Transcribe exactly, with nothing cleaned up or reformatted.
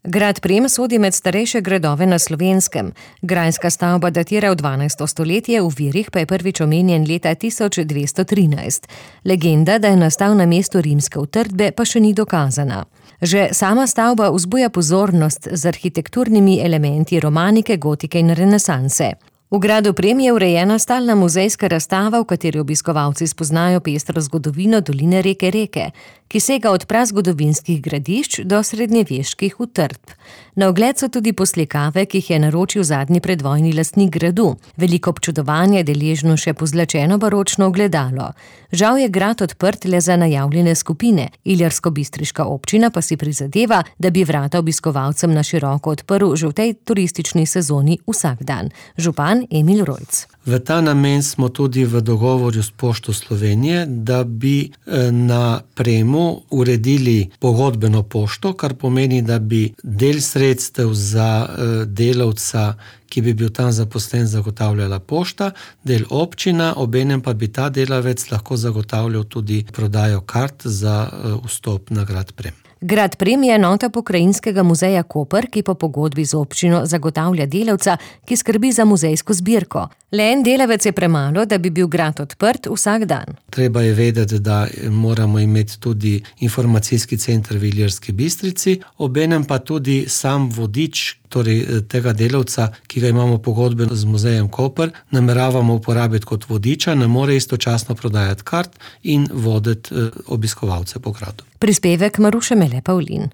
Grad Prem sodi med starejše gradove na Slovenskem. Grajska stavba datira v dvanajsto stoletje, v virih pa je prvič omenjen leta tisoč dvesto trinajst. Legenda, da je nastal na mestu rimske utrdbe, pa še ni dokazana. Že sama stavba vzbuja pozornost z arhitekturnimi elementi romanike, gotike in renesanse. V gradu Prem je urejena stalna muzejska razstava, v kateri obiskovalci spoznajo pestro zgodovino doline reke Reke, ki sega od prazgodovinskih gradišč do srednjeveških utrdb. Na ogled so tudi poslikave, ki jih je naročil zadnji predvojni lastnik gradu. Veliko občudovanja je deležno še pozlačeno baročno ogledalo. Žal je grad odprt le za najavljene skupine, ilirsko-bistriška občina pa si prizadeva, da bi vrata obiskovalcem na široko odprl že v tej turistični sezoni vsak dan. Župan Emil Rojc. V ta namen smo tudi v dogovoru s Pošto Slovenije, da bi na Premu uredili pogodbeno pošto, kar pomeni, da bi del sredstev za delavca, ki bi bil tam zaposlen, zagotavljala pošta, del občina, obenem pa bi ta delavec lahko zagotavljal tudi prodajo kart za vstop na grad Prem. Grad Prem je enota Pokrajinskega muzeja Koper, ki po pogodbi z občino zagotavlja delavca, ki skrbi za muzejsko zbirko. Le en delavec je premalo, da bi bil grad odprt vsak dan. Treba je vedeti, da moramo imeti tudi informacijski center v Ilirski Bistrici, obenem pa tudi sam vodič, torej tega delavca, ki ga imamo pogodbeno z muzejem Koper, nameravamo uporabiti kot vodiča, ne more istočasno prodajati kart in voditi obiskovalce po gradu. Prispevek Maruše Mele Pavlin.